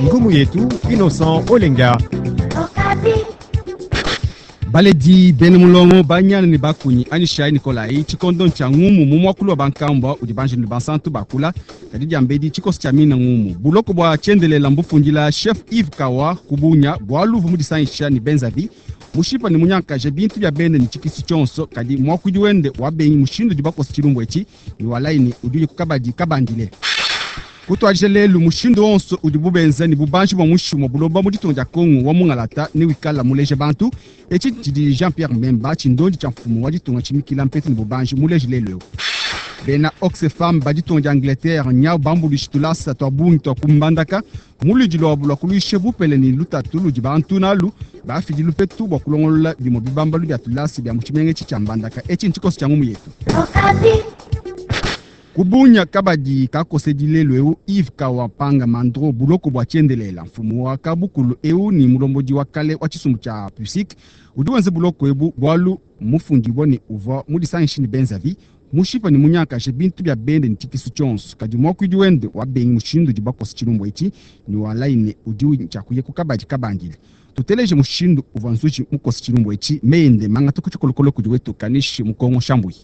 Ngumu yetu Innocent Olenga. Baledi bena mulongo banyana ne bakunyi anyishayi Nikolayi tshikondo ntshia ngumu mu muakulu wa bankambua udi banjelu ne bansantu bakula kadi diambedi tshikoso tshia mina ngumu buloko bua tshiendelela mbufundila chef Yves Kawa kubunya bualu uvua mudisangisha ne benzavi mushipa ne munyankaje bintu bia bende ne tshikisu tshionso kadi muakuidi wende wabengi mushindu udi bakosa tshilumbu etshi ne walayi ne udi ku kabadi kabandile. Kutuadija lelu mushindu wonso udibu benza ne bubanji bua muinshi mua buloba mu ditunga dia Kongo wa mungalata ne wikala muleje bantu. Etshi tshidi Jean-Pierre Mbemba tshindondi tshia mfumu wa ditunga tshimikila mpetu ne bubanji muleje lelu eu. Bena Oxfam ba ditunga dia Angleterre nyau bambuluishi tulasa tua bungi tua kumbandaka mu luidi luabu lua kuluisha bupele ne lutatu ludi bantu nalu bafidi lupetu bua kulongolola bimue bibambalu bia tulasa bia mu tshimenga etshi tshia Mbandaka. Etshi ntshikoso tshia ngumu yetu. Kubunya kabadi kakosedi lelu eu Yves Kawapanga Mandro buloko bua tshiendelela mfumu wa kabukulu eu ni mulombodi wa kale wa tshisumbu tshia PUSIC udi wenza buloko ebu bualu mufundibua ne uvua mudisangishi ne benzavi mushipa ne munyankaje bintu bia bende ne tshikisu tshionso kadi muakuidi wende wabengi mushindu udi bakosa tshilumbu etshi ne walayi ne udi tshiakuya ku kabadi kabandile. Tuteleje mushindu uvua nzuji mukosa tshilumbu etshi meyende mangata ku tshikolokolo kudi wetu Kanishi Mukongo Shambui.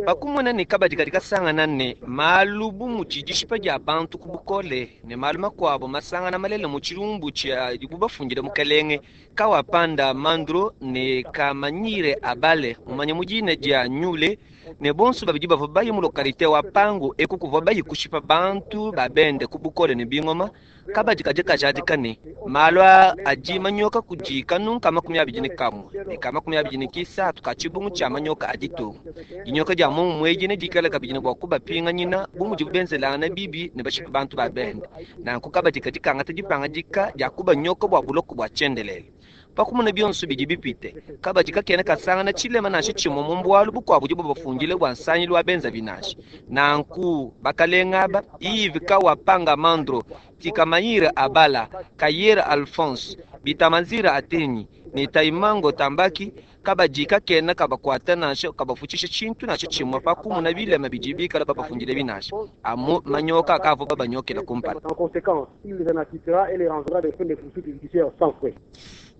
Bakumona ne kabadi kadi kasangana ne malu bu mudi dishipa dia bantu ku bukole ne malu makuabu masangana malele mu tshilumbu tshia dibu bafundile mukelenge Kawapanda Mandro ne Kamanyire Abale mumanye mu dina dia Nyule ne bonso babidi bavua bayi mu lokalite wa Pangu eku kuvua bayi kushipa bantu ba bende ku bukole ne bingoma. Kabadi kadi kajadika ne malu aa adi manyoka kudi kanunka 21 ne ka 23 ka tshibungu tshia manyoka a ditunga. Dinyoka dia momumue edi nedikale kabidi ne bua kubapinganyina bu mudibu benzelangana bibi ne bashipa bantu ba bende. Nanku kabadi kadi kangata dipangadika dia kubanyoka bua buloko bua tshiendelele. Pa kumona bionso bidi bipite, kabadi kakena kasangana tshilema nansha tshimue mu bualu bukuabu budibu bafundile bua nsangilu wa benzavi nansha. Nanku bakalenga aba, Yves Kawapanga Mandro, Tikamayira Abala, Kayera Alphonse, Bitamanzira Atenyi ne Taimango Tambaki, kabadi kakena kabakuata nansha kabafutshisha tshintu nansha tshimue pa kumona bilema bidi bikala babafundile binansha amu manyoka akavua babanyokela kumpala.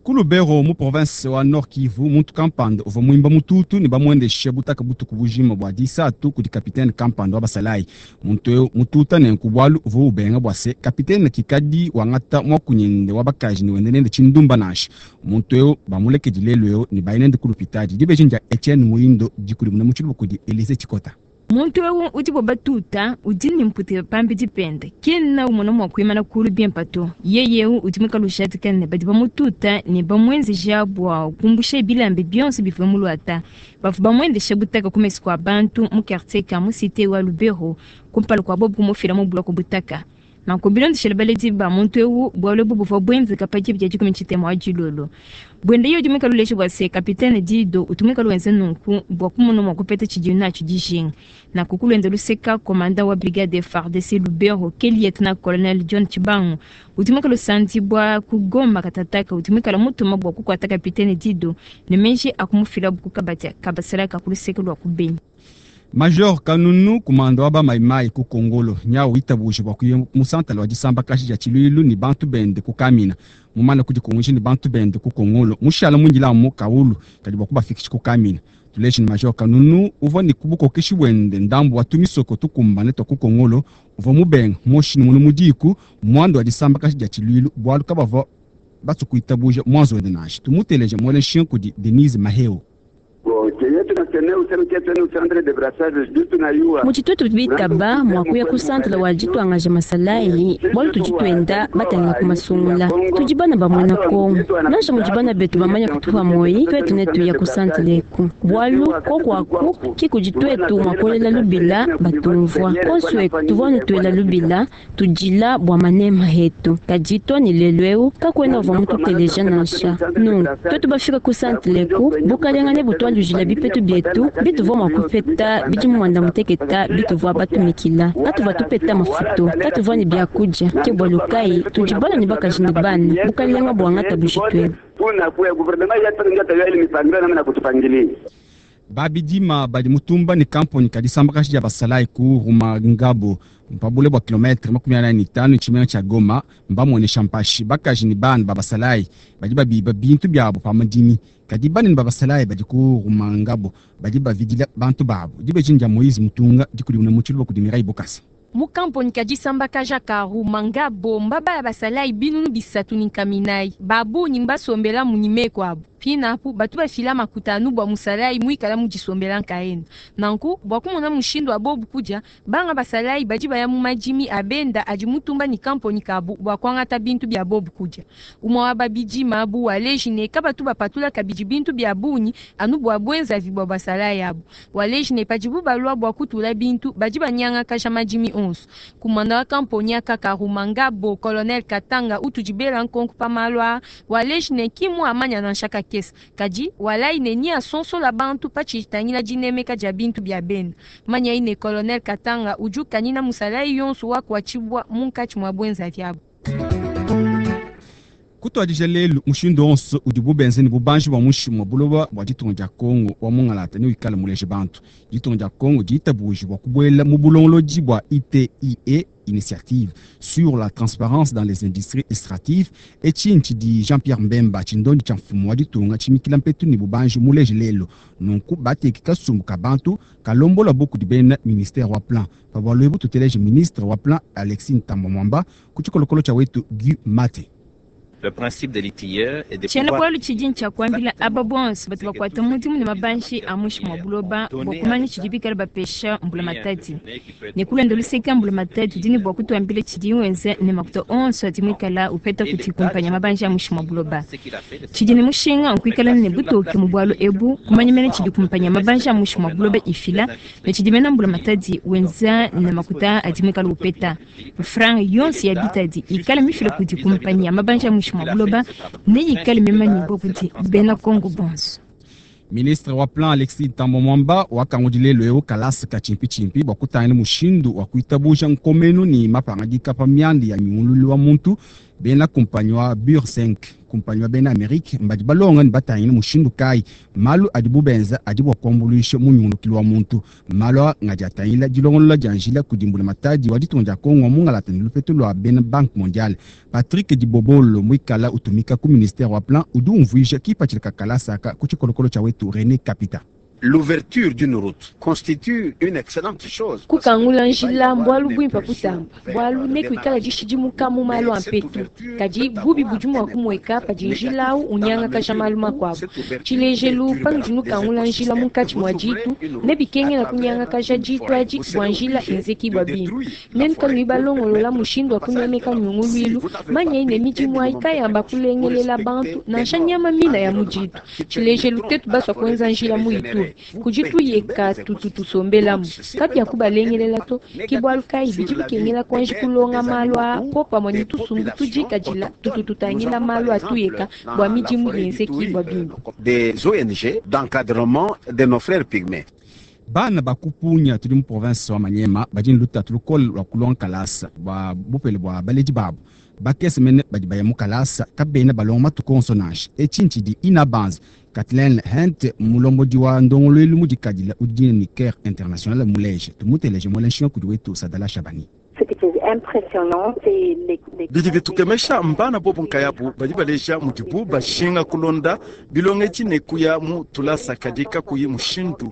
Ku Lubero mu province wa Nord Kivu, muntu kampanda uvua muimba mututu ne bamuendeshe butaka butuku bujima bua disatu kudi kapitene kampanda wa basalayi. Muntu eu mututa nenku bualu uvua ubenga bua se kapitene kikadi wangata muakunyende wa bakaji ne wende nende tshindumba nansha. Muntu eu bamulekedi lelu eu ne bayi nende ku lupitadi. Dibeji ndia Etienne Muindo dikudimuna mu tshiluba kudi Elise Tshikota. Muntu eu udibo batuta udi ne mpute pambidi pende, kena umona mua kuimana kulu bimpe to. Yeye eu udi muikale ujadika ne badi bamututa ne bamuenzeja bua kumbusha bilamba bionso bivua muluata. Bavua bamuendesha butaka ku mesu kua bantu mu quartier ka mu cité wa Lubero kumpala kua bobu kumufila mu buloko butaka. Nanku bilondeshele baledi ba muntu eu, bualu ebu buvua buenzeka pa diba dia 13 wa dilolo. Buende yeye udi muikale uleja bua se kapitene Dido utu muikale wenza nunku bua kumona mua kupeta tshidiye natshio dijinga. Nanku ku luende luseka, komanda wa brigade FARDC Lubero ke lieutenant colonel John Tshibangu udi muikale usandibua ku Goma katataka udi muikale mutuma bua kukuata kapitene Dido ne meji a kumufilabu ku kabadi ka basalayi ka ku luseke lua ku Beni. Major Kanunu kumanda wa ba Maimai ku Kongolo nyau witabuje bua kuya mu santala wa disambakaji dia tshiluilu ne bantu bende ku Kamina. Mumane kudikunguija ne bantu bende ku Kongolo mushala muindila amu kaulu kadi bua kubafikisha ku Kamina. Tuleje ne Major Kanunu uvua ne ku bukokeshi buende ndambu wa tumisoko tukumbane tua ku Kongolo uvua mubenga moshi ne munu mu diku muanda wa disambakaji dia tshiluilu bualu kabavua basue kuitabuja muanzu wende nansha. Tumuteleje muele nshinga kudi Denise Maheo. Mudi tuetu bitaba mua kuya ku centre wa dituangaja masalayi bualu tudi tuenda batangila ku masungula. Tudi bana ba muena Kongo. Nansha mudi bana betu bamanya kutupa muoyi, tuetu netuya ku centre eku bualu koku aku ki kudi tuetu mua kuelela lubila batumvua. Konsu eku tuvua anu tuela lubila tudila bua manema etu, kadi to ne lelu eu kakuena uvua mututeleja nansha. Nunku tuetu bafika ku centre eku, bukalenga nebutualujila bipetu bietu bituvua mua kupeta bidimu 90 bituvua batumikila. Katuvua tupeta mafutu, katuvua ne biakudia, ke bualu kayi tudi bana ne bakaji ne bana, bukalenga buangata bujitu ebu. Babidima badi mutumba ne kamponyi ka disambakaji dia basalayi ku Rumangabo pa bule bua kilometre 45 ne tshimenga tshia Goma mbamuenesha mpashi. Bakaji ne bana ba basalayi badi babiba bintu biabu pa madimi, kadi banene ba basalayi badi ku Rumangabo badi bavidila bantu babu. Dibeji ndia Moise Mutunga dikudimuna mu tshiluba kudi Mireille Bokasa. Mu kamponyi ka disambakaja ka Rumangabo mbabaya basalayi 340 babunyi mbasombela mu nyimeko abu. Pinapu batu bafila makuta anu bua musalayi muikala mu disombela nkaena. Nanku bua kumona mushindu wa bobu kudia, banga basalayi badi baya mu madimi a benda adi mutumba ne kamponyi kabu bua kuangata bintu bia bobu kudia. Umue wa babidima abu waleji ne kabatu bapatula kabidi bintu bia bungi anu bua buenzavi bua basalayi abu. Waleji ne padibu balua bua kutula bintu badi banyangakaja madimi onso. Kumanda wa kamponyi aka ka Rumangabo, Colonel Katanga utudibela nkonko pa malu aa, waleji ne kimu amanya nansha kakese. Kadi walai ne ni asonsola bantu pachitangila dinemeka dia bintu bia benda. Manya ine Colonel Katanga uju kanina musalayi yonso wa kuachibwa munkatshi mwa bwenza vyabo. Kutuadija lelu mushindu onso udibu benze ne bubanji bua muinshi mua buloba bua ditunga dia Kongo wa mungalata ne wikale muleje bantu. Ditunga dia Kongo diitabuji bua kubuela mu bulongolodi bua ITIE, Initiative sur la transparence dans les industries extractives, etshi di Jean-Pierre Mbemba tshindondi tshia mfumu wa ditunga tshimikila mpetu ne bubanji muleje lelo. Nunku bateki kasumbu ka bantu kalombola buku di bena ministère wa plan. Pa bualu ebu tuteleje ministre wa plan Alexis Ntambwe Mwamba ku tshikolokolo tshia wetu Guy Mate. Le principe de l'ITIE est de Tshiena pouvoir bualu tshidi ntshia kuambila aba bonso batu bakuata mudimu ne mabanji a muinshi mua buloba bua kumanya tshidi bikale bapesha mbulamatadi. Ne kulonda luseke mbulamatadi udi ne bua kutuambila tshidi wenza ne makuta onso adi muikala upeta kuti kumpanya mabanji a muinshi mua buloba. Tshidi ne mushinga nkuikala ne butoke mu bualu ebu, kumanya mene tshidi kumpanya mabanji a muinshi mua buloba ifila ne tshidi mena mbulamatadi wenza ne makuta adi muikala upeta. Franga yonso ya bitadi ikale mifila kudi kumpanya mabanji a muinshi mua buloba ne ikale mimanyibua kudi bena Kongo bonso. Ministre wa plan Alexis Ntambwe Mwamba wakangudi lelo eu kalasa ka tshimpi-tshimpi bua kutangila mushindu wa kuitabuja nkomenu ne mapangadika pa mianda ya nyungululu wa muntu. Bena kumpanyi wa Bur 5 kumpanyi wa bena Amerique mbadi balonga ne batangila mushindu kayi malu adibu benza adi bua kuambuluisha mu nyungulukilu wa muntu. Malu aa ngadi atangila dilongolola dia njila kudi mbulamatadi wa ditunga dia Kongo mungalata ne lupetu lua bena Banque mondiale. Patrick Dibobolo muikala utumika ku ministère wa plan udi umvuija kipatshila ka kalasa aka ku tshikolokolo tshia wetu René Kapita. L'ouverture d'une route constitue une excellente chose. Kukangula njila mbwalu bwimpa kutamba bwalu ne kuikala dishidimuka mu malu a mpetu kadi bubi budi mua kumweka padi njila au unyangakaja malu makuabu. Tshilejelu panudi nukangula njila munkatshi mua ditu ne bikengela kunyangakaja ditu adi bua njila enzekibua bimpe. Nenu kanuyi balongolola mushindu wa kunemeka nyunguluilu manya ne midimu ayi kayamba kulengelela bantu nansha nyama mina ya mu ditu. Tshilejelu tetu basua kuenza njila mu Ituri kudi tuyeka tutu tusombelamu kapia kubalengelela to ke bualu kayi bidi bikengela kuanji kulonga malu a popamue ne tusumbu tudikadila tutu tutangila malu a tuyeka bua midimu yenzekibua bimpe. Des ONG d'encadrement de nos frères pygmées. Bana bakupunya tuli mu province wa Maniema badi ne lutatu lukole lua kulonga kalasa bua bupele bua baledi babu. Bakese mene badi baya mu kalasa kabena balonga matuku onso nansha. Etshi ntshidi Ina Banza Kathleen Hent mulombodi wa ndongoluelu mudikadila udi ne Care International muleje. Tumuteleje muela nshinga kudi wetu Sadala Shabani. Bidi bitukemesha mbana bobu nkayabu badi baleja mudibu bashinga kulonda bilongetshi ne kuya mu tulasa kadi kakuyi mushindu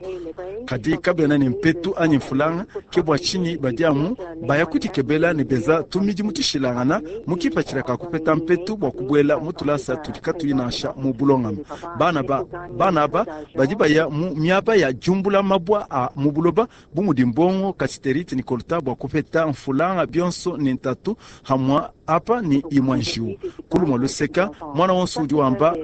kadi kabena ne mpetu anyi mfulanga ke bua tshinyi badi amu baya kudikebela ne beza tumidi mutishilangana mukipatshila ka kupeta mpetu bua kubuela mu tulasa tudi katuyi nansha mu bulongame. Bana ba bana aba badi baya mu miaba ya jumbula mabwa a mu buloba bu mudi mbongo kasiterite ni kolta bua kupeta mfulanga bionso ne ntatu hamwa apa ni imwa njiwu kulumwa luseka mwana wonso udi wamba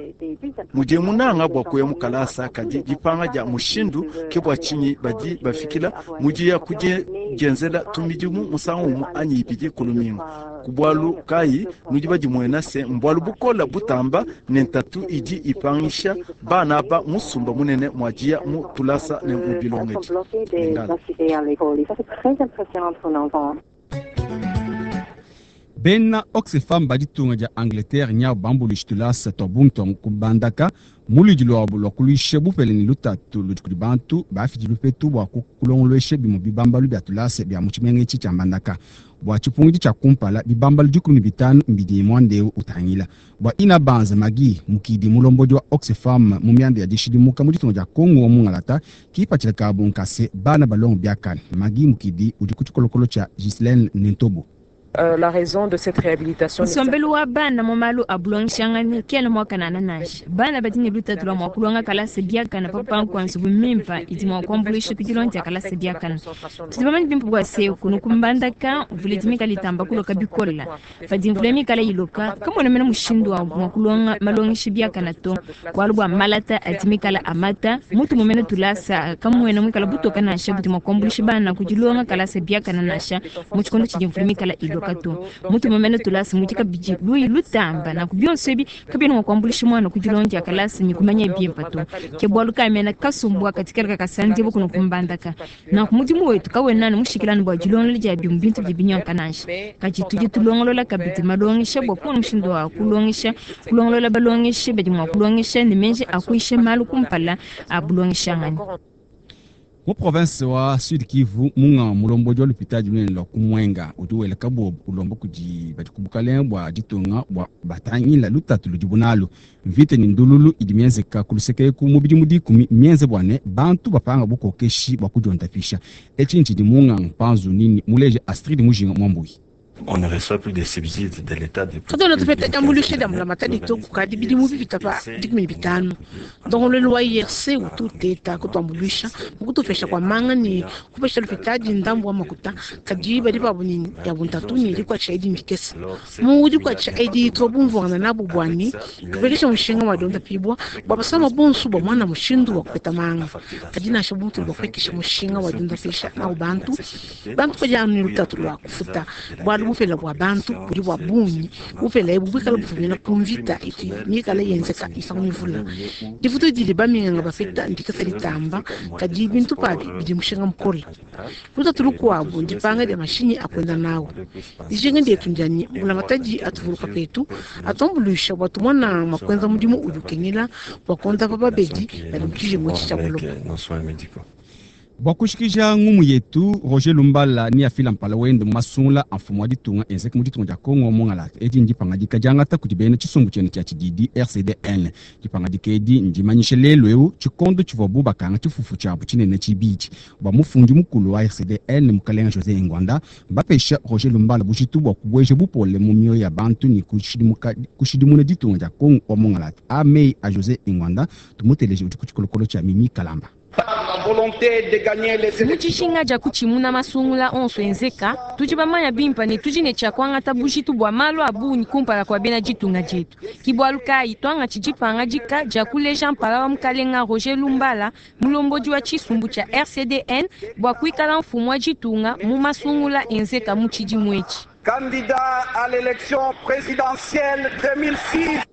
mudie munanga bua kuya mu kalasa kadi dipanga dia mushindu ke bua tshinyi badi bafikila mudiya kudienzela tumidimu musangu umue anyi ibidi kulumingu. Ku bualu kayi nudi badimuena se mbualu bukola butamba ne ntatu idi ipangisha bana aba musumba munene muadiya mu tulasa ne mu bilongedi. Lingala. Bena Oxfam ba ditunga dia Angleterre nyabu bambuluisha tulasa tua bungi tua ku Mbandaka mu luidi luabu lua kuluisha bupele ne lutatu ludi kudi bantu bafidi lupetu bua kulongoluesha bimue bibambalu bia tulasa bia mu tshimenga etshi tshia Mbandaka. Bua tshipungidi tshia kumpala, bibambalu 15 mbidi muanda eu utangila. Bua Inabanza Maggie Mukidi, mulombodi wa Oxfam mu mianda ya dishidimuka mu ditunga dia Kongo wa mungalata, kipatshila kabu nkase bana balongo biakane. Maggie Mukidi udi ku tshikolokolo tshia Ghislaine Nentobo. La raison de cette réhabilitation. Nsombelu wa bana mu malu a bulongeshangane kena muakanana nansha. Bana badi ne lutatu lua mua kulonga kalasa biakana pa kupanka nzubu mimpa idi mua kuambuluisha ku dilonga dia kalasa biakana. Tudi bamanye bimpe bua se kunu ku Mbandaka mvula idi mikale itamba kuloka bikole. Padi mvula mikale iloka, kamuena mene mushindu wa mua kulonga malongesha biakana to, bualu bua malata adi mikale amata. Mutu mumene tulasa kamuena muikala butoka nansha budi mua kuambuluisha bana ku dilonga kalasa biakana nansha mu tshikondo tshidi mvula mikale iloka to. Mutu mumene tulasa mudi kabidi luyi lutamba, nanku bionso ebi kabiena mua kuambuluisha muana ku dilonga dia kalasa ne kumanya bimpe to. Ke bualu kayi mena kasumbu aka dikala kakasandibua kuno ku Mbandaka. Nanku mudimu wetu kawena anu mushikila anu bua dilongolola dia bimue bintu bidi binyanguka nansha, kadi tudi tulongolola kabidi malongesha bua kumona mushindu wa kulongesha, kulongolola balongeshi badi mua kulongesha ne meji a kuyisha malu kumpala a bulongeshanganyi. Mu province wa Sud Kivu, munga mulombodi wa lupitadi lunene lua ku Mwenga udi wela kabobo ulomba kudi badi ku bukalenge bua ditunga bua batangila lutatu ludibu nalu. Mvita ne ndululu idi mienzeka ku luseke eku mu bidimu 10 mienze bua ne bantu bapanga bukokeshi bua kudiondapisha. Etshi ntshidi munga mpanzu nini muleje Astrid Mujinga Mwambui. On ne reçoit plus de subsides de l'État depuis Katuena tupeta diambuluisha dia mbulamatadi to kukadi bidimu bipita pa 15. Ndongoluelu wa IRC utu uteta kutuambuluisha mu kutupesha kua manga ne kupesha lupitadi ndambu wa makuta, kadi badi pabu ne yabu ntatu ne dikuatshisha edi ndikese. Mu dikuatshisha edi tuvua bumvuangana nabu bua ne tupekesha mushinga wa diondapibua bua basama bonso bua muana mushindu wa kupeta manga. Kadi nansha bu mutudi bapuekesha mushinga wa diondapisha nawu bantu, bantu badi anu ne lutatu lua kufuta bualu bupela bua bantu budi bua bungi. Bupela ebu buikala bufumina ku mvita itu mikala yenzeka misangu mivula. Difutu didi baminganga bapeta ndikese ditamba, kadi bintu pabi bidi mushinga mukole. Lutatu lukuabu ndipanga dia mashinyi a kuenda nawu. Dijinga dietu ndia ne mbulamatadi atuvuluka petu, atuambuluisha bua tumona mua kuenza mudimu udi ukengela bua kuondapa babedi badi mu tshijengu etshi tshia buloba. Bua kushikija ngumu yetu, Roger Lumbala ni afila mpala wende mu masungula a mfumu wa ditunga enzeka mu ditunga dia Kongo mungalata. Edi ndipangadika diangata kudi bena tshisumbu tshiende tshia tshididi RCDN. Dipangadika edi ndimanyishe lelu eu tshikondo tshivuabu bakanga tshifufu tshiabu tshinene tshibidi. Bua mufundi mukulu wa RCDN Mukalenga Jose Engwanda, mbapesha Roger Lumbala bujitu bua kubueja bupole mu mioyo ya bantu ne kushidimuna ditunga dia Kongo wa mungalata. A mei a Jose Engwanda, tumuteleje udi ku tshikolokolo tshia Mimi Kalamba. Mu tshishinga dia kutshimuna masungula onso enzeka, tudi bamanya bimpe ne tudi ne tshia kuangata bujitu bua malu a bungi kumpala kua bena ditunga dietu. Ke bualu kayi tuangatshi dipangadika dia kuleja mpala wa mukalenga Roger Lumbala, mulombodi wa tshisumbu tshia RCDN, bua kuikala mfumu wa ditunga mu masungula enzeka mu tshidimu etshi. Candidat à l'élection présidentielle 2006.